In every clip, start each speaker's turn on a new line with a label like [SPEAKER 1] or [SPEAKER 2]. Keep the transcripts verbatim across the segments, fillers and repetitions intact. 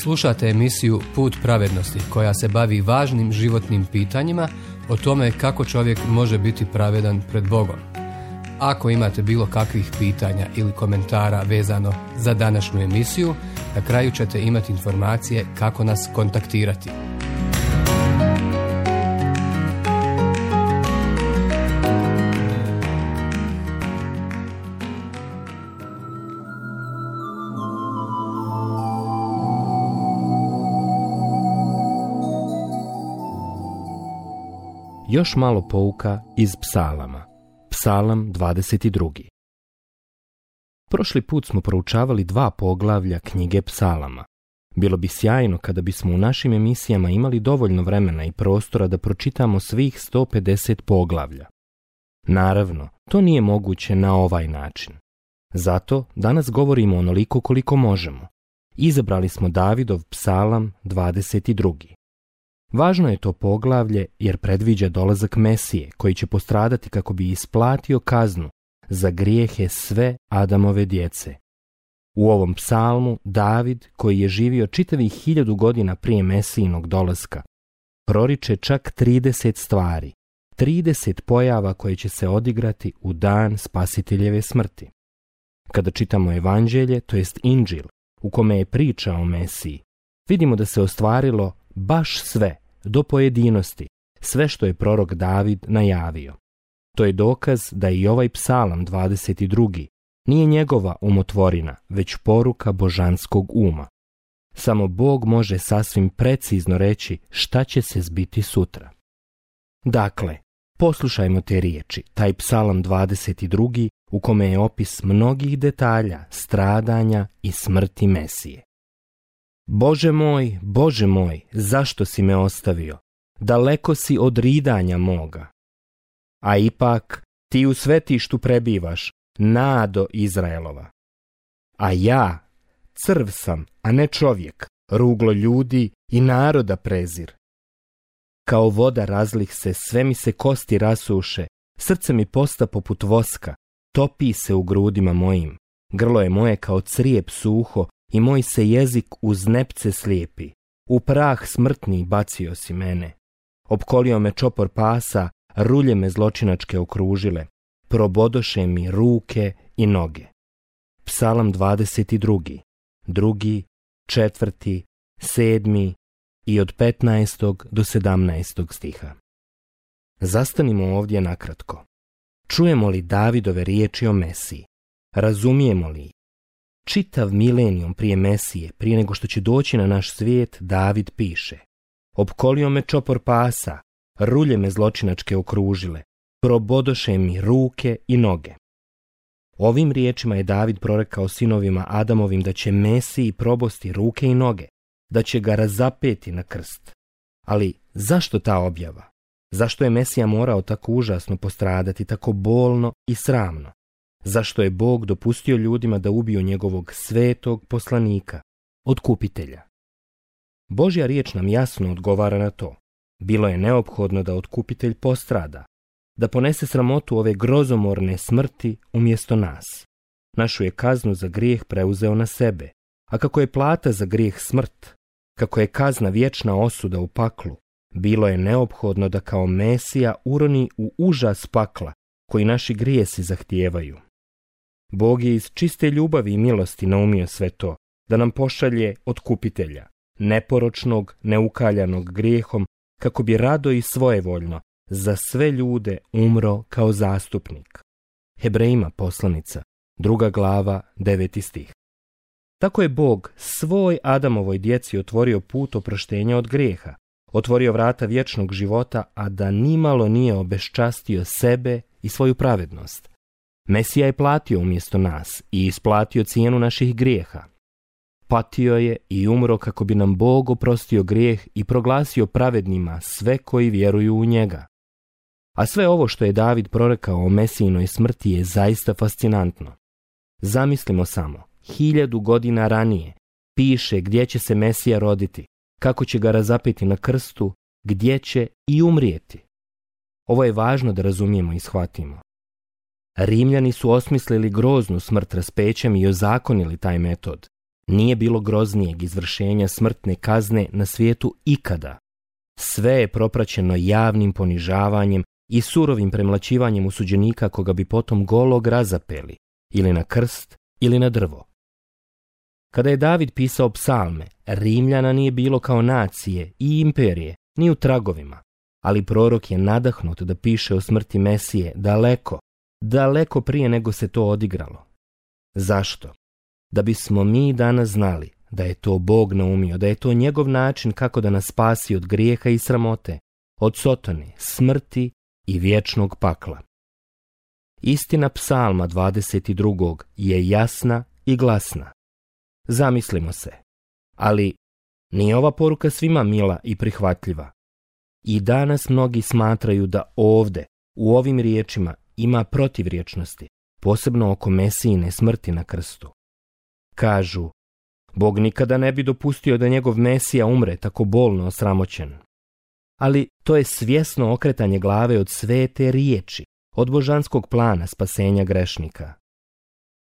[SPEAKER 1] Slušate emisiju Put pravednosti koja se bavi važnim životnim pitanjima o tome kako čovjek može biti pravedan pred Bogom. Ako imate bilo kakvih pitanja ili komentara vezano za današnju emisiju, na kraju ćete imati informacije kako nas kontaktirati.
[SPEAKER 2] Još malo pouka iz Psalama. Psalam dvadeset drugi. Prošli put smo proučavali dva poglavlja knjige Psalama. Bilo bi sjajno kada bismo u našim emisijama imali dovoljno vremena i prostora da pročitamo svih sto pedeset poglavlja. Naravno, to nije moguće na ovaj način. Zato danas govorimo onoliko koliko možemo. Izabrali smo Davidov Psalam dvadeset drugi. Važno je to poglavlje jer predviđa dolazak Mesije koji će postradati kako bi isplatio kaznu za grijehe sve Adamove djece. U ovom psalmu David, koji je živio čitavih hiljadu godina prije Mesijinog dolaska, proriče čak trideset stvari, trideset pojava koje će se odigrati u dan Spasiteljeve smrti. Kada čitamo Evanđelje, to jest Inđil, u kome je priča o Mesiji, vidimo da se ostvarilo baš sve, do pojedinosti, sve što je prorok David najavio. To je dokaz da i ovaj psalam dvadeset drugi nije njegova umotvorina, već poruka božanskog uma. Samo Bog može sasvim precizno reći šta će se zbiti sutra. Dakle, poslušajmo te riječi, taj psalam dvadeset drugi u kome je opis mnogih detalja, stradanja i smrti Mesije. Bože moj, Bože moj, zašto si me ostavio? Daleko si od ridanja moga. A ipak, ti u svetištu prebivaš, nado Izraelova. A ja, crv sam, a ne čovjek, ruglo ljudi i naroda prezir. Kao voda razlih se, sve mi se kosti rasuše, srce mi posta poput voska, topi se u grudima mojim, grlo je moje kao crijep suho, i moj se jezik uz nepce slijepi. U prah smrtni bacio si mene. Opkolio me čopor pasa, rulje me zločinačke okružile. Probodoše mi ruke i noge. Psalam dvadeset drugi. Drugi, četvrti, sedmi i od petnaestog do sedamnaestog stiha. Zastanimo ovdje nakratko. Čujemo li Davidove riječi o Mesiji? Razumijemo li? Čitav milenijum prije Mesije, prije nego što će doći na naš svijet, David piše: opkolio me čopor pasa, rulje me zločinačke okružile, probodoše mi ruke i noge. Ovim riječima je David prorekao sinovima Adamovim da će Mesiji probosti ruke i noge, da će ga razapeti na krst. Ali zašto ta objava? Zašto je Mesija morao tako užasno postradati, tako bolno i sramno? Zašto je Bog dopustio ljudima da ubiju njegovog svetog poslanika, otkupitelja? Božja riječ nam jasno odgovara na to. Bilo je neophodno da otkupitelj postrada, da ponese sramotu ove grozomorne smrti umjesto nas. Našu je kaznu za grijeh preuzeo na sebe, a kako je plata za grijeh smrt, kako je kazna vječna osuda u paklu, bilo je neophodno da kao Mesija uroni u užas pakla koji naši grijesi zahtijevaju. Bog je iz čiste ljubavi i milosti naumio sve to, da nam pošalje otkupitelja, neporočnog, neukaljanog grijehom, kako bi rado i svojevoljno za sve ljude umro kao zastupnik. Hebrejima poslanica, druga glava, deveti stih. Tako je Bog svoj Adamovoj djeci otvorio put oproštenja od grijeha, otvorio vrata vječnog života, a da nimalo nije obeščastio sebe i svoju pravednost. Mesija je platio umjesto nas i isplatio cijenu naših grijeha. Patio je i umro kako bi nam Bog oprostio grijeh i proglasio pravednima sve koji vjeruju u njega. A sve ovo što je David prorekao o Mesijinoj smrti je zaista fascinantno. Zamislimo samo, hiljadu godina ranije piše gdje će se Mesija roditi, kako će ga razapeti na krstu, gdje će i umrijeti. Ovo je važno da razumijemo i shvatimo. Rimljani su osmislili groznu smrt raspećem i ozakonili taj metod. Nije bilo groznijeg izvršenja smrtne kazne na svijetu ikada. Sve je propraćeno javnim ponižavanjem i surovim premlaćivanjem osuđenika koga bi potom golog razapeli, ili na krst, ili na drvo. Kada je David pisao psalme, Rimljana nije bilo kao nacije i imperije, ni u tragovima, ali prorok je nadahnut da piše o smrti Mesije daleko, daleko prije nego se to odigralo. Zašto? Da bismo mi danas znali da je to Bog naumio, da je to njegov način kako da nas spasi od grijeha i sramote, od sotone, smrti i vječnog pakla. Istina psalma dvadeset drugog je jasna i glasna. Zamislimo se, ali nije ova poruka svima mila i prihvatljiva. I danas mnogi smatraju da ovde, u ovim riječima, ima protivriječnosti, posebno oko Mesijine smrti na krstu. Kažu, Bog nikada ne bi dopustio da njegov Mesija umre tako bolno osramoćen. Ali to je svjesno okretanje glave od svete riječi, od božanskog plana spasenja grešnika.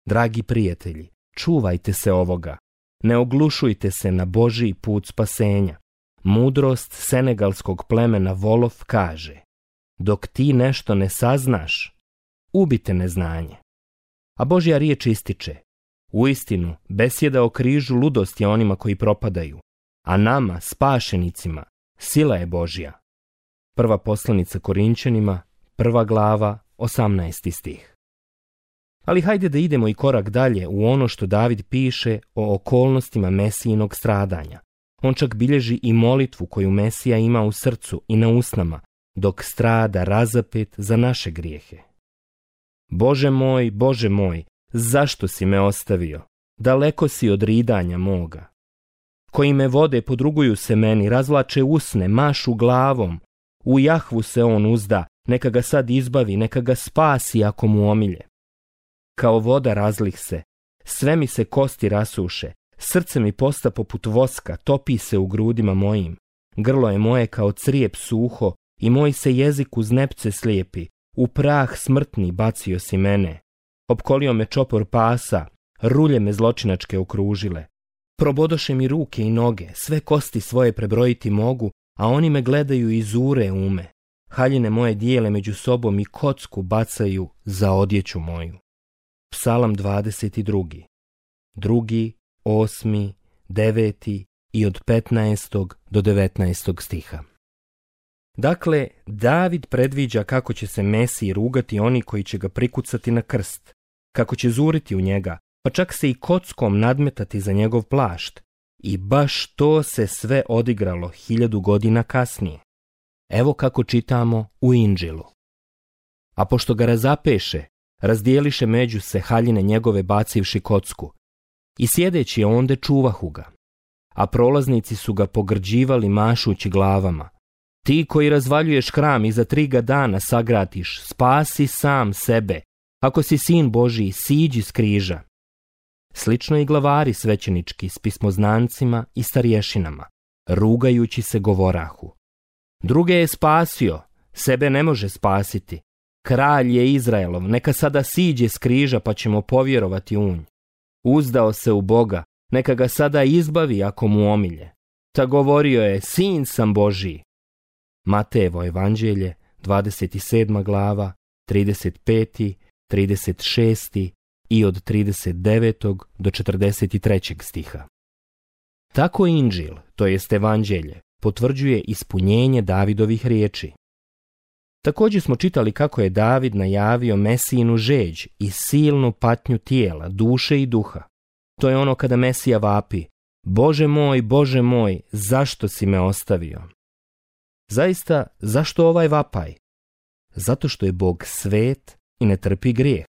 [SPEAKER 2] Dragi prijatelji, čuvajte se ovoga, ne oglušujte se na Božji put spasenja. Mudrost senegalskog plemena Wolof kaže, dok ti nešto ne saznaš, ubite neznanje. A Božja riječ ističe, uistinu, besjeda o križu ludost je onima koji propadaju, a nama, spašenicima, sila je Božja. Prva poslanica Korinćanima, prva glava, osamnaesti stih. Ali hajde da idemo i korak dalje u ono što David piše o okolnostima Mesijinog stradanja. On čak bilježi i molitvu koju Mesija ima u srcu i na usnama, dok strada razapet za naše grijehe. Bože moj, Bože moj, zašto si me ostavio? Daleko si od ridanja moga. Koji me vode podruguju se meni, razvlače usne, mašu glavom. U Jahvu se on uzda, neka ga sad izbavi, neka ga spasi ako mu omilje. Kao voda razlih se, sve mi se kosti rasuše, srce mi posta poput voska, topi se u grudima mojim. Grlo je moje kao crijep suho i moj se jezik uz nepce slijepi. U prah smrtni bacio si mene. Opkolio me čopor pasa, rulje me zločinačke okružile. Probodoše mi ruke i noge, sve kosti svoje prebrojiti mogu, a oni me gledaju i zure ume. Haljine moje dijele među sobom i kocku bacaju za odjeću moju. Psalam dvadeset drugi. Drugi, osmi, deveti i od petnaestog do devetnaestog stiha. Dakle, David predviđa kako će se Mesiji rugati oni koji će ga prikucati na krst, kako će zuriti u njega, pa čak se i kockom nadmetati za njegov plašt. I baš to se sve odigralo hiljadu godina kasnije. Evo kako čitamo u Inđilu. A pošto ga razapeše, razdijeliše među se haljine njegove bacivši kocku, i sjedeći onde čuvahu ga, a prolaznici su ga pogrđivali mašući glavama. Ti koji razvaljuješ hram i za tri ga dana sagratiš, spasi sam sebe, ako si sin Božiji, siđi s križa. Slično i glavari svećenički s pismoznancima i starješinama, rugajući se govorahu. Druge je spasio, sebe ne može spasiti. Kralj je Izraelov, neka sada siđe s križa pa ćemo povjerovati u nj. Uzdao se u Boga, neka ga sada izbavi ako mu omilje. Ta govorio je, sin sam Božiji. Matejevo evanđelje, dvadeset sedma glava, trideset peti, trideset šesti i od trideset devetog do četrdeset trećeg stiha. Tako Inđil, to jest evanđelje, potvrđuje ispunjenje Davidovih riječi. Također smo čitali kako je David najavio Mesijinu žeđ i silnu patnju tijela, duše i duha. To je ono kada Mesija vapi, Bože moj, Bože moj, zašto si me ostavio? Zaista, zašto ovaj vapaj? Zato što je Bog svet i ne trpi grijeh.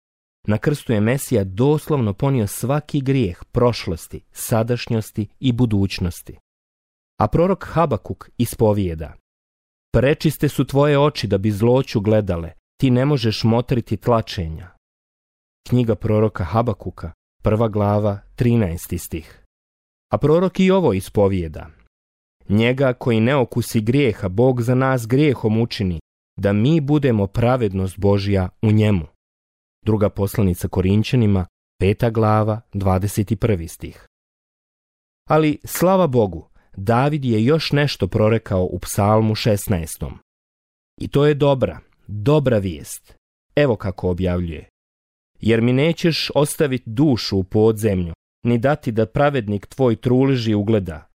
[SPEAKER 2] Na krstu je Mesija doslovno ponio svaki grijeh prošlosti, sadašnjosti i budućnosti. A prorok Habakuk ispovijeda, prečiste su tvoje oči da bi zloću gledale, ti ne možeš motriti tlačenja. Knjiga proroka Habakuka, prva glava, trinaesti stih. A prorok i ovo ispovijeda, njega koji ne okusi grijeha, Bog za nas grijehom učini, da mi budemo pravednost Božja u njemu. Druga poslanica Korinćanima, peta glava, dvadeset prvi stih. Ali, slava Bogu, David je još nešto prorekao u Psalmu šesnaestom. I to je dobra, dobra vijest. Evo kako objavljuje. Jer mi nećeš ostaviti dušu u podzemlju, ni dati da pravednik tvoj truleži ugleda.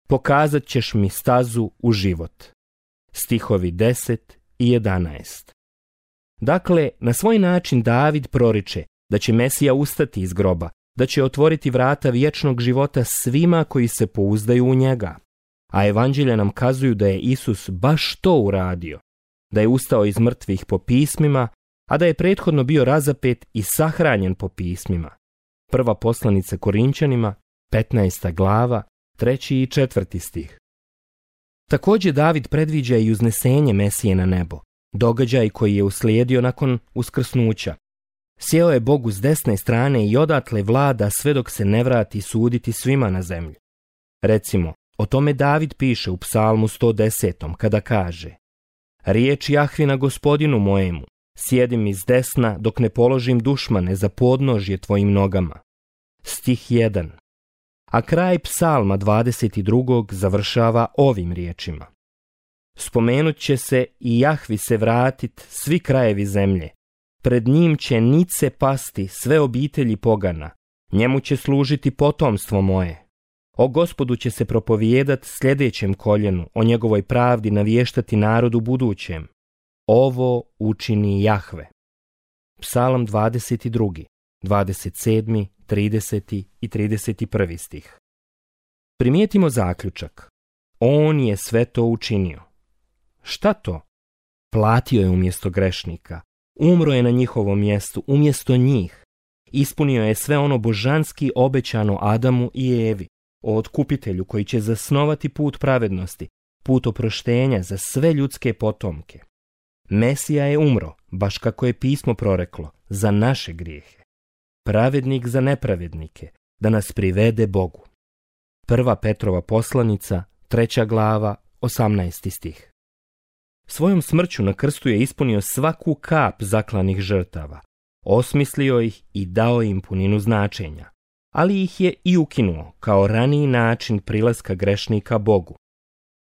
[SPEAKER 2] Pokazat ćeš mi stazu u život. Stihovi deset i jedanaest. Dakle, na svoj način David proriče da će Mesija ustati iz groba, da će otvoriti vrata vječnog života svima koji se pouzdaju u njega. A evanđelja nam kazuju da je Isus baš to uradio, da je ustao iz mrtvih po pismima, a da je prethodno bio razapet i sahranjen po pismima. Prva poslanica Korinčanima, petnaesta glava, treći i četvrti stih. Također David predviđa i uznesenje Mesije na nebo, događaj koji je uslijedio nakon uskrsnuća. Sjeo je Bogu s desne strane i odatle vlada sve dok se ne vrati suditi svima na zemlji. Recimo, o tome David piše u Psalmu sto desetom kada kaže: Riječ Jahvina gospodinu mojemu, sjedi mi s desna dok ne položim dušmane za podnožje tvojim nogama. Stih jedan. A kraj Psalma dvadeset drugog završava ovim riječima: Spomenut će se i Jahvi se vratit svi krajevi zemlje. Pred njim će nice pasti sve obitelji pogana. Njemu će služiti potomstvo moje. O Gospodu će se propovijedat sljedećem koljenu, o njegovoj pravdi naviještati narodu budućem. Ovo učini Jahve. Psalam dvadeset drugi, dvadeset sedmi, trideseti i trideset prvi stih. Primijetimo zaključak. On je sve to učinio. Šta to? Platio je umjesto grešnika. Umro je na njihovom mjestu, umjesto njih. Ispunio je sve ono božanski obećano Adamu i Evi, o otkupitelju koji će zasnovati put pravednosti, put oproštenja za sve ljudske potomke. Mesija je umro, baš kako je pismo proreklo, za naše grijehe. Pravednik za nepravednike, da nas privede Bogu. Prva Petrova poslanica, treća glava, osamnaesti stih. Svojom smrću na krstu je ispunio svaku kap zaklanih žrtava, osmislio ih i dao im puninu značenja, ali ih je i ukinuo kao raniji način prilaska grešnika Bogu.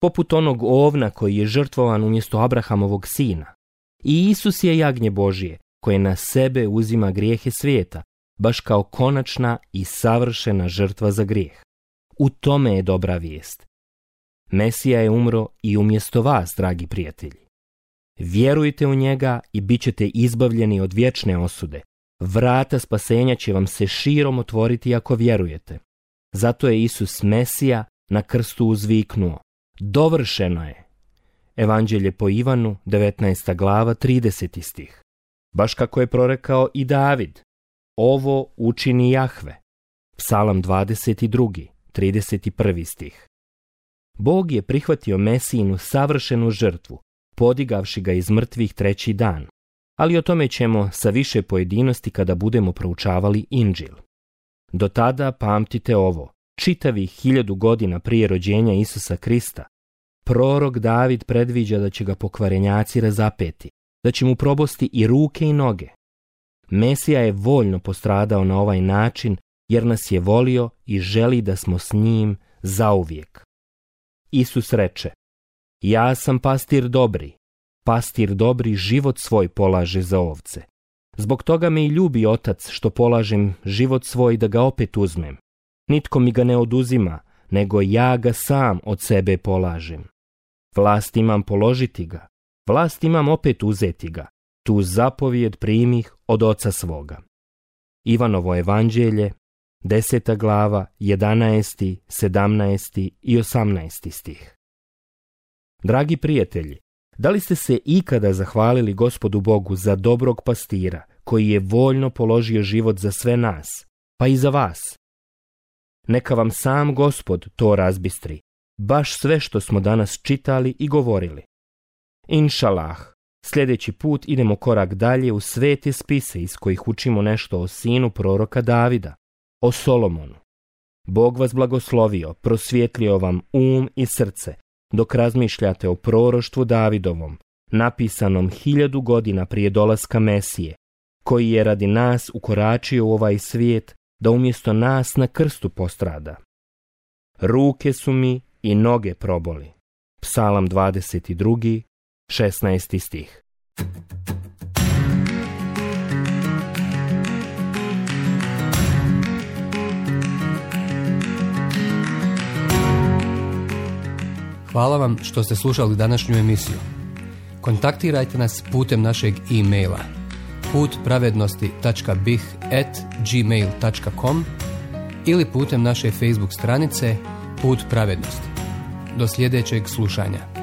[SPEAKER 2] Poput onog ovna koji je žrtvovan umjesto Abrahamovog sina. I Isus je jagnje Božije koje na sebe uzima grijehe svijeta, baš kao konačna i savršena žrtva za grijeh. U tome je dobra vijest. Mesija je umro i umjesto vas, dragi prijatelji. Vjerujte u njega i bit ćete izbavljeni od vječne osude. Vrata spasenja će vam se širom otvoriti ako vjerujete. Zato je Isus Mesija na krstu uzviknuo: Dovršeno je. Evanđelje po Ivanu, devetnaesta glava, trideseti stih. Baš kako je prorekao i David: Ovo učini Jahve. Psalam dvadeset drugi, trideset prvi stih. Bog je prihvatio Mesijinu savršenu žrtvu, podigavši ga iz mrtvih treći dan, ali o tome ćemo sa više pojedinosti kada budemo proučavali Inđil. Do tada pamtite ovo: čitavih hiljadu godina prije rođenja Isusa Krista, prorok David predviđa da će ga pokvarenjaci razapeti, da će mu probosti i ruke i noge. Mesija je voljno postradao na ovaj način jer nas je volio i želi da smo s njim zauvijek. Isus reče: Ja sam pastir dobri, pastir dobri život svoj polaže za ovce. Zbog toga me i ljubi Otac što polažem život svoj da ga opet uzmem. Nitko mi ga ne oduzima, nego ja ga sam od sebe polažem. Vlast imam položiti ga, vlast imam opet uzeti ga. Tu zapovijed primih od Oca svoga. Ivanovo evanđelje, deseta glava, jedanaesti, sedamnaesti i osamnaesti stih. Dragi prijatelji, da li ste se ikada zahvalili Gospodu Bogu za dobrog pastira koji je voljno položio život za sve nas, pa i za vas? Neka vam sam Gospod to razbistri, baš sve što smo danas čitali i govorili. Inšalah, sljedeći put idemo korak dalje u svete spise iz kojih učimo nešto o sinu proroka Davida, o Solomonu. Bog vas blagoslovio, prosvjetlio vam um i srce, dok razmišljate o proroštvu Davidovom, napisanom hiljadu godina prije dolaska Mesije, koji je radi nas ukoračio u ovaj svijet da umjesto nas na krstu postrada. ruke su mi i noge proboli. Psalam dvadeset drugi, šesnaesti stih.
[SPEAKER 1] Hvala vam što ste slušali današnju emisiju. Kontaktirajte nas putem našeg e-maila put pravednosti tačka b i h at gmail tačka com ili putem naše Facebook stranice Put pravednosti. Do sljedećeg slušanja.